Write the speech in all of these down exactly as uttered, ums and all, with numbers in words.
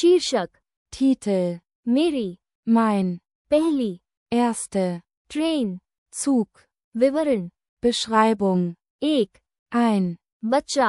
शीर्षक, Titel, मेरी, mein, पहली, erste, ट्रेन, Zug, विवरण, Beschreibung, एक, ein, बच्चा,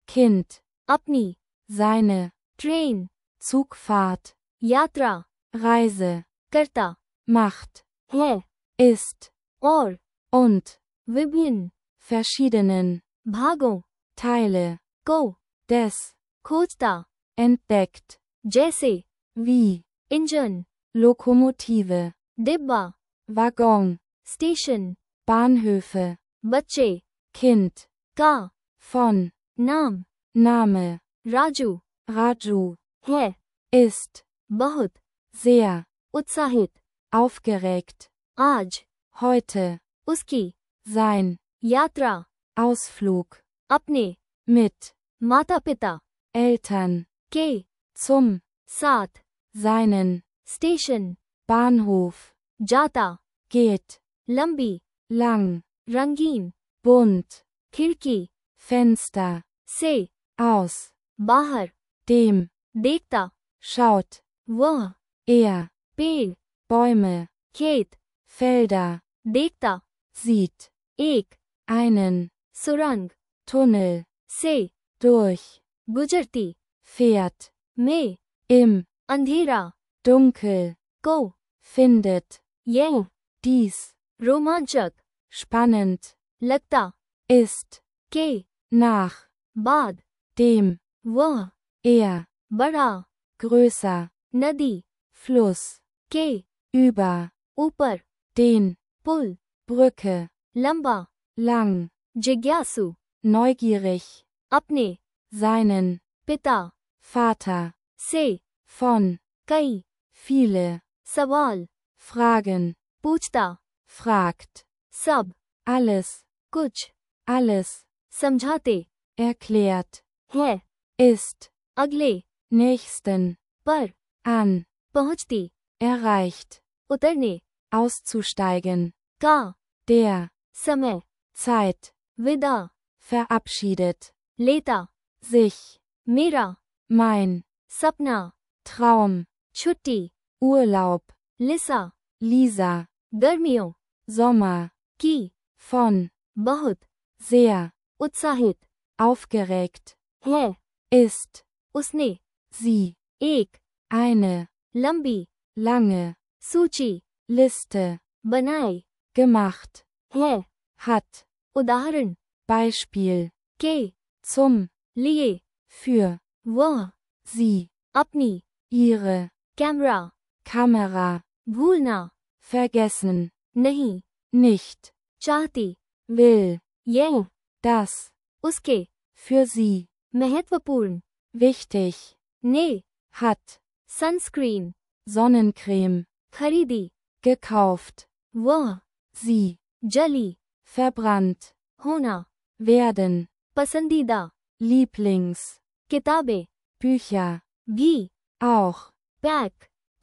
Kind, अपनी, seine, ट्रेन, Zugfahrt, यात्रा, Reise, करता, macht, है, ist, और, und, विभिन्न, verschiedenen, भागों, Teile, को, des, खोजता, entdeckt, जैसे, wie, इंजन, Lokomotive, डिब्बा, Waggon, स्टेशन, Bahnhöfe, बच्चे, Kind, का, von, नाम, Name, राजू, Raju, है, ist, बहुत, sehr, उत्साहित, aufgeregt, आज, heute, उसकी, sein, यात्रा, Ausflug, अपने, mit, माता पिता, Eltern, के, zum, साथ, seinen, स्टेशन, Bahnhof, जाता, geht, लंबी, lang, रंगीन, bunt, खिड़की, Fenster, से, aus, बाहर, dem, देखता, schaut, वह, er, पेड़, Bäume, खेत, Felder, देखता, sieht, एक, einen, सुरंग, Tunnel, से, durch, गुजरती, fährt, में, im, अंधेरा, Dunkel, को, findet, यह, dies, रोमांचक, spannend, लगता, ist, के, nach, बाद, dem, वह, er, बड़ा, größer, नदी, Fluss, के, über, ऊपर, den, पुल, Brücke, लंबा, lang, जिज्ञासु, neugierig, अपने, seinen, पिता, Vater, से, von, कई, viele, सवाल, fragen, पूछता, fragt, सब, alles, कुछ, alles, समझाते, erklärt, है, ist, अगले, nächsten, पर, an, पहुंचती, erreicht, उतरने, auszusteigen, का, der, समय, Zeit, विदा, verabschiedet, लेता, sich, मेरा, mein, सपना, Traum, छुट्टी, Urlaub, लिसा, Lisa, गर्मियों, Sommer, की, von, बहुत, sehr, उत्साहित, aufgeregt, है, ist, उसने, sie, एक, eine, लंबी, lange, सूची, Liste, बनाई, gemacht, है, hat, उदाहरण, Beispiel, के, zum, लिए, für, वह, sie, अपनी, ihre, कैमरा, Kamera, भूलना, vergessen, नहीं, nicht, चाहती, will, यह, das, उसके, für sie, महत्वपूर्ण, wichtig, ने, hat, सनस्क्रीन, Sonnencreme, खरीदी, gekauft, वह, sie, जली, verbrannt, होना, werden, पसंदीदा, Lieblings, किताबें, Bücher, भी, auch, पैक,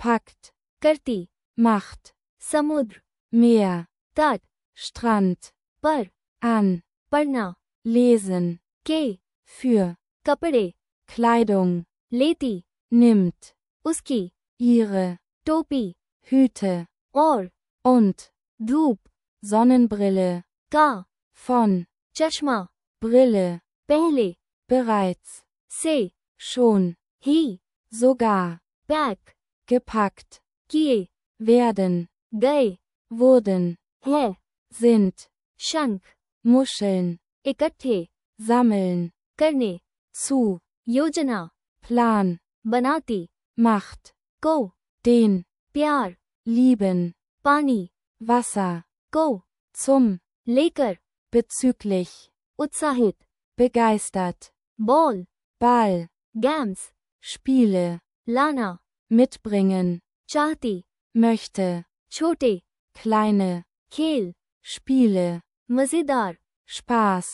packt, करती, macht, समुद्र, Meer, तट, Strand, पर, an, पढ़ना, lesen, के, für, कपड़े, Kleidung, लेती, nimmt, उसकी, ihre, टोपी, Hüte, और, und, धूप, Sonnenbrille, का, von, चश्मा, Brille, पहले, bereits, से, schon, ही, sogar, पैक, gepackt, किए, werden, गए, wurden, है, sind, शंख, Muscheln, इकट्ठे, sammeln, करने, zu, योजना, Plan, बनाती, macht, को, den, प्यार, lieben, पानी, Wasser, को, zum, लेकर, bezüglich, उत्साहित, begeistert, ball, Ball, games, Spiele, लाना, mitbringen, चाहती, möchte, छोटे, kleine, खेल, Spiele, मजेदार, Spaß,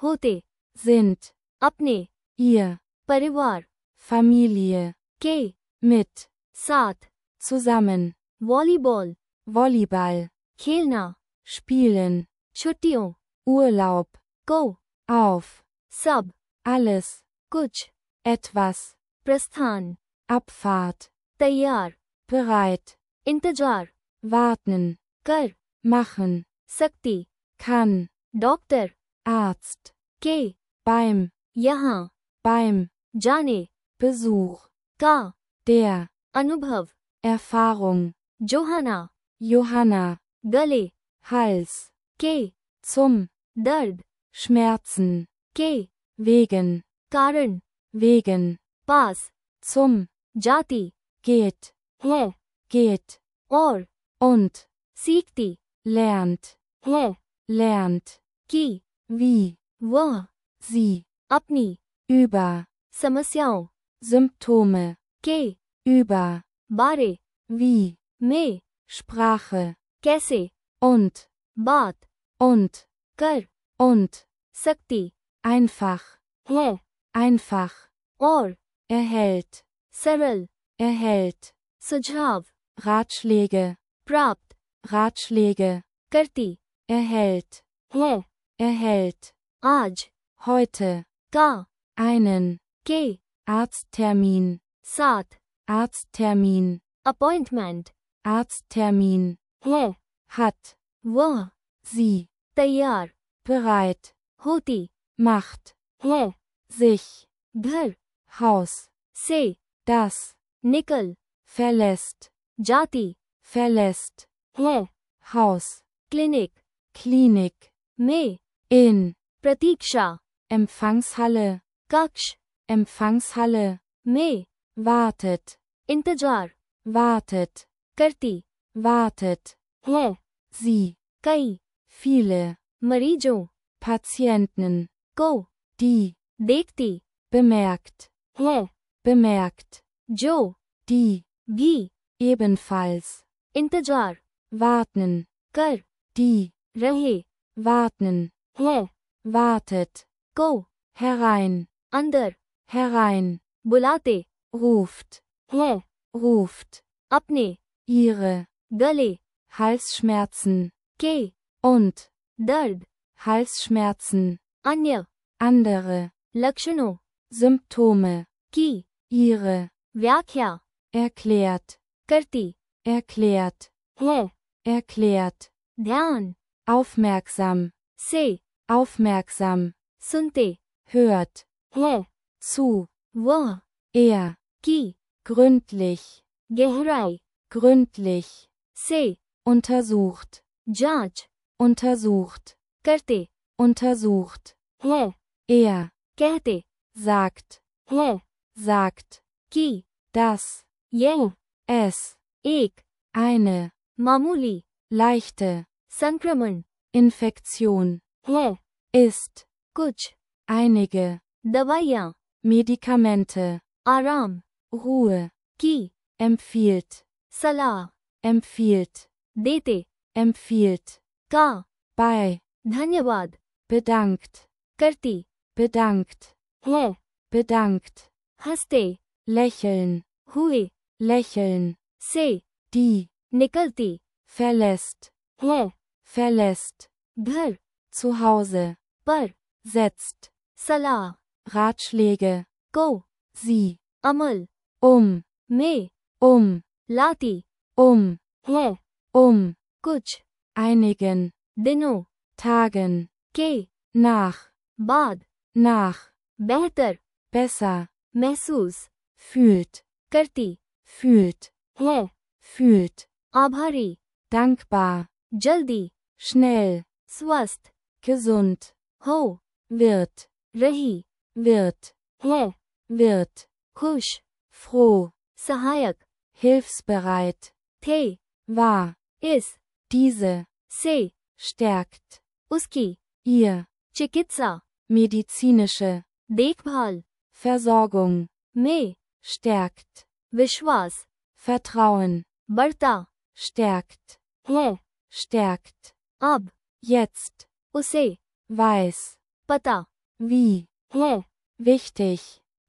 होते, sind, अपने, ihr, परिवार, Familie, के, mit, साथ, zusammen, वॉलीबॉल, Volleyball, खेलना, spielen, छुट्टियों, Urlaub, को, auf, सब, alles, कुछ, etwas, प्रस्थान, Abfahrt, तैयार, bereit, इंतजार, warten, कर, machen, सकती, kann, डॉक्टर, Arzt, के, beim, यहाँ, beim, जाने, Besuch, का, der, अनुभव, Erfahrung, जोहाना, Johanna, गले, Hals, के, zum, दर्द, Schmerzen, के, wegen, कारण, wegen, पास, zum, जाती, geht, है, geht, और, und, सीखती, lernt, है, lernt, की, wie, वह, sie, अपनी, über, समस्याओं, Symptome, के, über, बारे, wie, में, Sprache, कैसे, und, बात, und, कर, und, सकती, einfach, है, einfach, और, erhält, सरल, erhält, सुझाव, Ratschläge, प्राप्त, Ratschläge, करती, erhält, है, erhält, आज, heute, का, einen, के, Arzttermin, साथ, Arzttermin, अपॉइंटमेंट, Arzttermin, है, hat, वह, sie, तैयार, bereit, होती, macht, है, sich, घर, Haus, से, das, निकल, verlässt, जाती, verlässt, है, Haus, क्लिनिक, Klinik, में, in, प्रतीक्षा, Empfangshalle, कक्ष, Empfangshalle, में, wartet, इंतजार, wartet, करती, wartet, है, sie, कई, viele, मरीजों, Patienten, को, die, देखती, bemerkt, है, bemerkt, जो, die, भी, ebenfalls, इंतजार, warten, कर, die, रहे, warten, है, wartet, को, herein, अंदर, herein, बुलाते, ruft, है, ruft, अपने, ihre, गले, Halsschmerzen, के, und, दर्द, Halsschmerzen, अन्य, andere, लक्षणों, Symptome, की, ihre, व्याख्या, erklärt, करती, erklärt, है, erklärt, ध्यान, aufmerksam, से, aufmerksam, सुनते, hört, है, zu, वह, er, की, gründlich, गहराई, gründlich, से, untersucht, जांच, untersucht, करते, untersucht, है, er, कहते, sagt, है, sagt, की, dass, यह, es, एक, eine, मामूली, leichte, संक्रमण, Infektion, है, ist, कुछ, einige, दवाइयाँ, Medikamente, आराम, Ruhe, की, empfiehlt, सलाह, empfiehlt, देते, empfiehlt, का, bei, धन्यवाद, bedankt, करती, bedankt, है, bedankt, हंसते, lächeln, हुए, lächeln, से, die, निकलती, verlässt, है, verlässt, घर, zu Hause, पर, setzt, सलाह, Ratschläge, को, sie, अमल, um, में, um, लाती, um, है, um, कुछ, einigen, दिनों, Tagen, के, nach, बाद, nach, बेहतर, besser, महसूस, fühlt, करती, fühlt, है, fühlt, आभारी, dankbar, जल्दी, schnell, स्वस्थ, gesund, हो, wird, रही, wird, है, wird, खुश, froh, सहायक, hilfsbereit, थे, war, इस, diese, से, stärkt, उसकी, ihr, चिकित्सा, medizinische, देखभाल, Versorgung, में, stärkt, विश्वास, Vertrauen, बढ़ता, stärkt, है, stärkt, अब, jetzt, उसे, weiß, पता, wie, है, wichtig,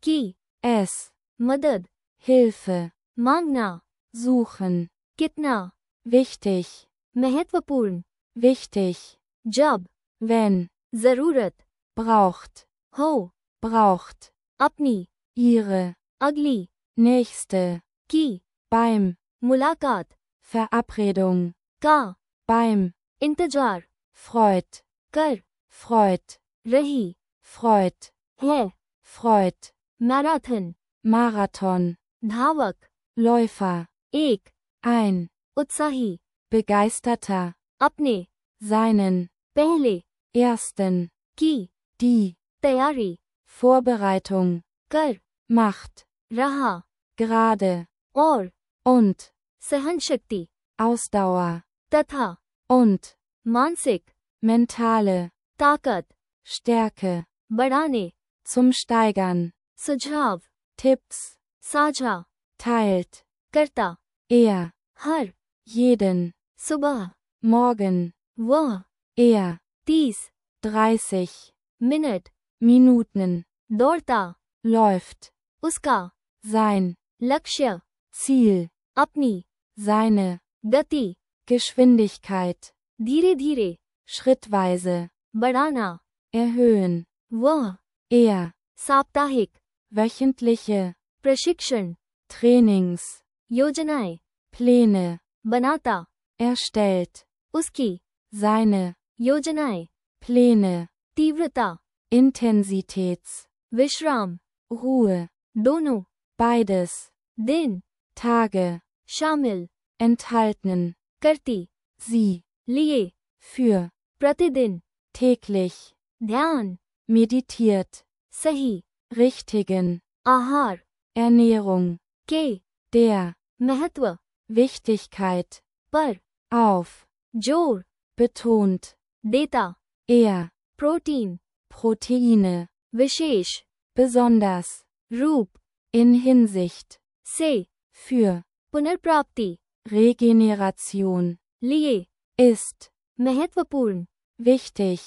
की, es, मदद, Hilfe, मांगना, suchen, कितना, wichtig, महत्वपूर्ण, wichtig, जब, wenn, जरूरत, braucht, हो, braucht, अपनी, ihre, अगली, nächste, की, beim, मुलाकात, Verabredung, का, beim, इंतजार, freut, कर, freut, रही, freut, है, freut, मैराथन, Marathon, धावक, Läufer, एक, ein, उत्साही, begeisterter, अपने, seinen, पहले, ersten, की, die, तैयारी, Vorbereitung, कर, macht, रहा, gerade, और, und, सहन शक्ति, Ausdauer, तथा, und, मानसिक, mentale, ताकत, Stärke, बढ़ाने, zum Steigern, सुझाव, Tipps, साझा, teilt, करता, er, हर, jeden, सुबह, morgen, वह, er, तीस, dreißig, मिनट, Minuten, दौड़ता, läuft, उसका, sein, लक्ष्य, Ziel, अपनी, seine, गति, Geschwindigkeit, धीरे धीरे, schrittweise, बढ़ाना, erhöhen, वह, er, साप्ताहिक, wöchentliche, प्रशिक्षण, Trainings, योजनाएं, Pläne, बनाता, erstellt, उसकी, seine, योजनाएं, Pläne, तीव्रता, Intensitäts, विश्राम, Ruhe, दोनों, beides, दिन, Tage, शामिल, enthalten, करती, sie, लिए, für, प्रतिदिन, täglich, ध्यान, meditiert, सही, richtigen, आहार, Ernährung, के, der, महत्व, Wichtigkeit, पर, auf, जोर, betont, देता, er, प्रोटीन, Proteine, विशेष, besonders, रूप, in Hinsicht, से, für, पुनर्प्राप्ति, Regeneration, लिए, ist, महत्वपूर्ण, wichtig,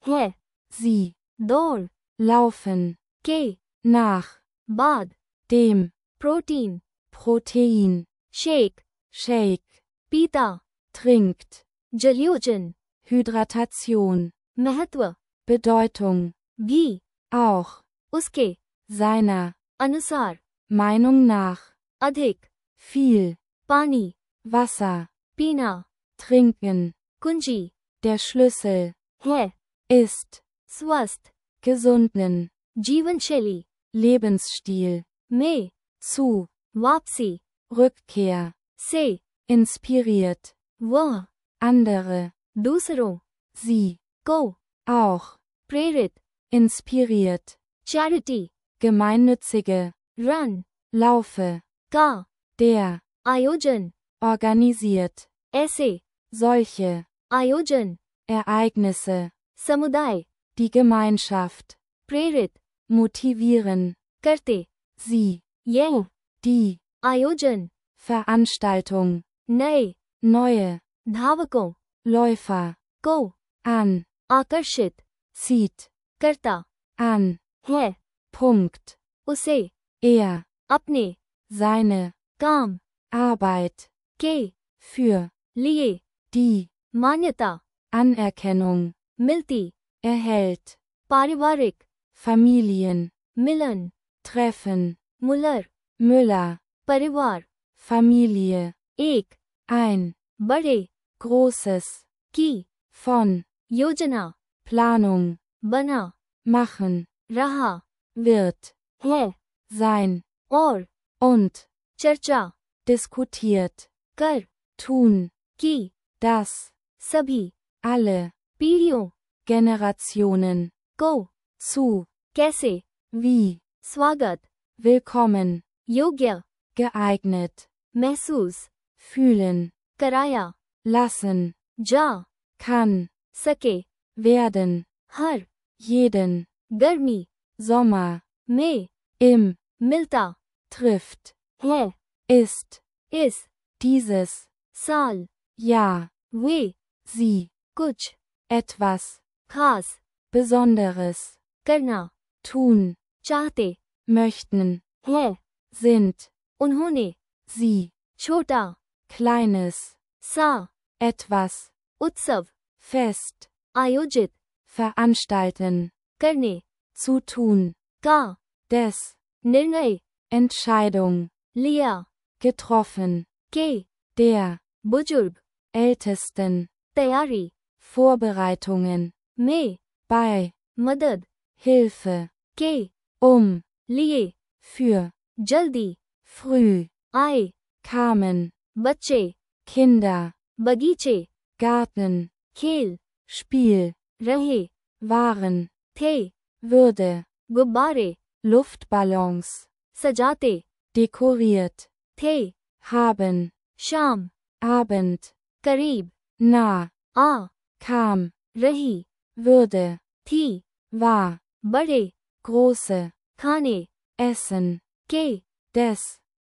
है, sie, दौड़, laufen, के, nach, बाद, dem, protein, Protein, shake, shake, पीता, trinkt, जलयोजन, Hydratation, महत्व, Bedeutung, भी, auch, उसके, seiner, अनुसार, Meinung nach, अधिक, viel, पानी, Wasser, पीना, trinken, कुंजी, der Schlüssel, है, ist, स्वस्थ, gesunden, जीवन शैली, Lebensstil, में, zu, वापसी, Rückkehr, से, inspiriert, वह, andere, दूसरों, sie, को, auch, प्रेरित, inspiriert, charity, gemeinnützige, run, laufe, का, der, आयोजन, organisiert, ऐसे, solche, आयोजन, Ereignisse, समुदाय, die Gemeinschaft, प्रेरित, motivieren, करते, sie, यह, die, आयोजन, Veranstaltung, नए, neue, धावकों, Läufer, को, an, आकर्षित, zieht, करता, an, है, Punkt, उसे, er, अपने, seine, काम, Arbeit, के, für, लिए, die, मान्यता, Anerkennung, मिलती, erhält, पारिवारिक, Familien, मिलन, Treffen, मुलर, Müller, परिवार, Familie, एक, ein, बड़े, großes, की, von, योजना, Planung, बना, machen, रहा, wird, है, sein, और, und, चर्चा, diskutiert, कर, tun, की, das, सभी, alle, पीढ़ियों, Generationen, को, zu, कैसे, wie, स्वागत, willkommen, योग्य, geeignet, महसूस, fühlen, कराया, lassen, जा, kann, सके, werden, हर, jeden, गर्मी, Sommer, में, im, मिलता, trifft, है, ist, इस, dieses, साल, Jahr, वे, sie, कुछ, etwas, खास, Besonderes, करना, tun, चाहते, möchten, है, sind, उन्होंने, sie, छोटा, kleines, सा, etwas, उत्सव, fest, आयोजित, veranstalten, करने, zu tun, का, des, निर्णय, Entscheidung, लिया, getroffen, के, der, बुजुर्ग, Ältesten, तैयारी, Vorbereitungen, में, bei, मदद, Hilfe, के, um, लिए, für, जल्दी, früh, आए, kamen, बच्चे, Kinder, बगीचे, Garten, खेल, Spiel, रहे, waren, थे, würde, गुब्बारे, Luftballons, सजाते, dekoriert, थे, haben, शाम, Abend, करीब, nah, आ, kam, रही, würde, थी, war, बड़े, große, खाने, essen, के, des,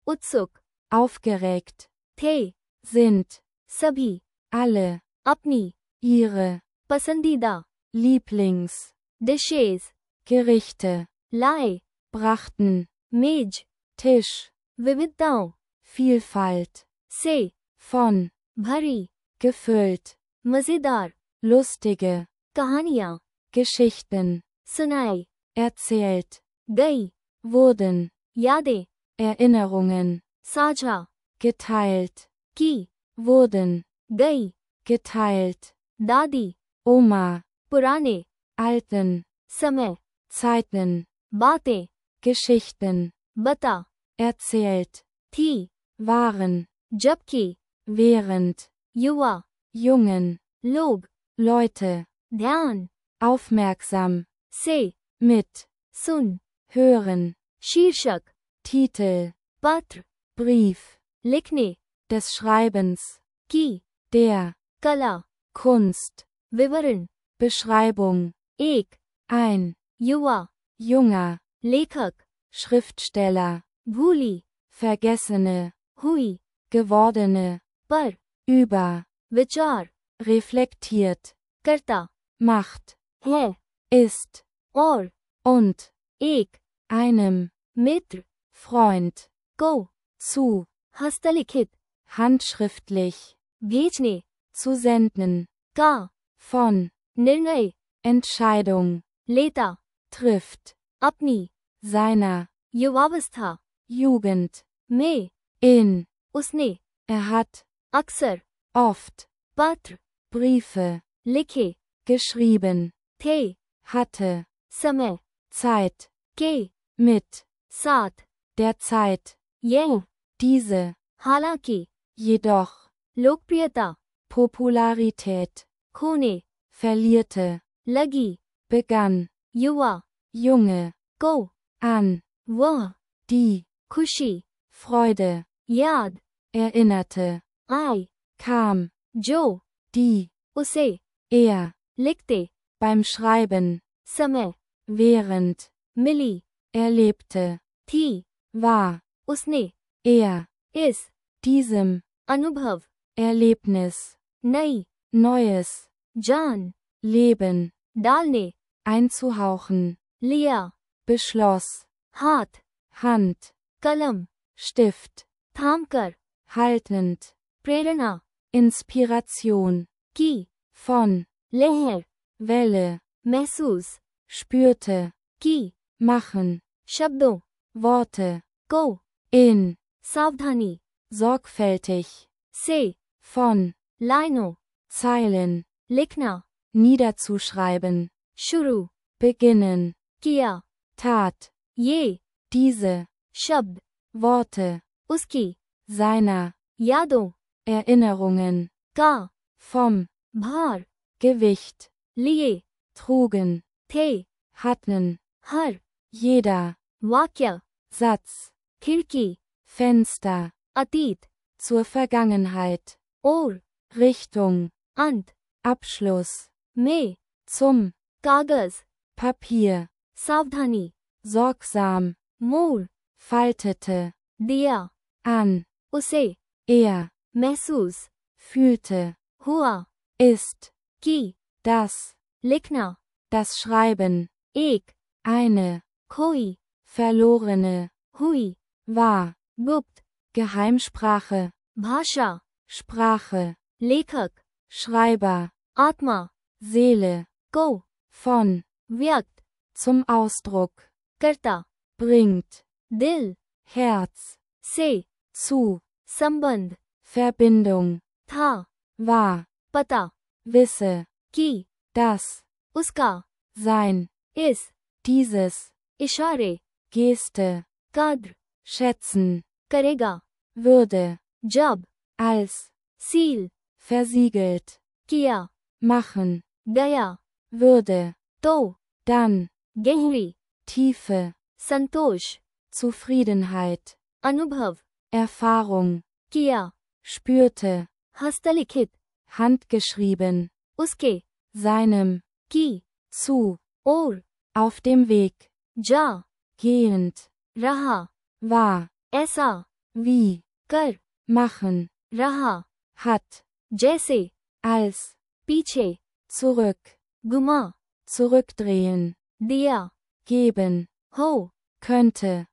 उत्सुक, aufgeregt, थे, sind, सभी, alle, अपनी, ihre, पसंदीदा, Lieblings, डिशेज, Gerichte, लाए, brachten, मेज, Tisch, विविधताओं, Vielfalt, से, von, भरी, gefüllt, मजेदार, lustige, कहानियाँ, Geschichten, सुनाई, erzählt, गई, wurden, यादें, Erinnerungen, साझा, geteilt, की, wurden, गई, geteilt, दादी, Oma, पुराने, alten, समय, Zeiten, बातें, Geschichten, बता, erzählt, थी, waren, जबकि, während, युवा, Jungen, लोग, Leute, ध्यान, aufmerksam, से, mit, सुन, hören, शीर्षक, Titel, पत्र, Brief, लिखने, des Schreibens, की, der, कला, Kunst, विवरण, Beschreibung, एक, ein, युवा, junger, लेखक, Schriftsteller, भूली, vergessene, हुई, gewordene, पर, über, विचार, reflektiert, करता, macht, है, ist, और, und, एक, einem, मित्र, Freund, को, zu, हस्तलिखित, handschriftlich, भेजने, zu senden, का, von, निर्णय, Entscheidung, लेता, trifft, अपनी, seiner, युवावस्था, Jugend, में, in, उसने, er hat, अक्सर, oft, पत्र, Briefe, लिखे, geschrieben, थे, hatte, समय, Zeit, के, mit, साथ, der Zeit, यह, diese, हालांकि, jedoch, लोकप्रियता, Popularität, खोने, verlierte, लगी, begann, युवा, junge, को, an, वह, die, खुशी, Freude, याद, erinnerte, आई, kam, जो, die, उसे, er, लिखते, beim Schreiben, समय, während, मिली, erlebte, थी, war, उसने, er, इस, diesem, अनुभव, Erlebnis, नई, Neues, जान, Leben, डालने, einzuhauchen, लिया, beschloss, हाथ, Hand, कलम, Stift, थामकर, haltend, प्रेरणा, Inspiration, की, von, लहर, Welle, महसूस, spürte, की, machen, शब्दों, Worte, को, in, सावधानी, sorgfältig, से, von, लाइनों, Zeilen, लिखना, niederzuschreiben, शुरू, beginnen, किया, tat, ये, diese, शब्द, Worte, उसकी, seiner, यादों, Erinnerungen, का, vom, भार, Gewicht, लिए, trugen, थे, hatten, हर, jeder, वाक्य, Satz, खिड़की, Fenster, अतीत, zur Vergangenheit, और, Richtung, अंत, Abschluss, में, zum, कागज, Papier, सावधानी, sorgsam, मोड़, faltete, दिया, an, उसे, er, महसूस, fühlte, हुआ, ist, की, das, लिखना, das Schreiben, एक, eine, खोई, verlorene, हुई, war, गुप्त, Geheimsprache, भाषा, Sprache, लेखक, Schreiber, आत्मा, Seele, को, von, व्यक्त, zum Ausdruck, करता, bringt, दिल, Herz, से, zu, संबंध, Verbindung, था, war, पता, wisse, कि, das, उसका, sein, इस, dieses, इशारे, Geste, कद्र, schätzen, करेगा, würde, जब, als, सील, versiegelt, किया, machen, गया, würde, तो, dann, गहरी, Tiefe, संतोष, Zufriedenheit, अनुभव, Erfahrung, किया, spürte, हस्तलिखित, handgeschrieben, उसके, seinem, की, zu, और, auf dem Weg, जा, gehend, रहा, war, ऐसा, wie, कर, machen, रहा, hat, जैसे, als, पीछे, zurück, गुमा, zurückdrehen, दिया, geben, हो. könnte.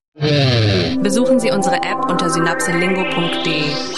Besuchen Sie unsere App unter synapselingo punkt de.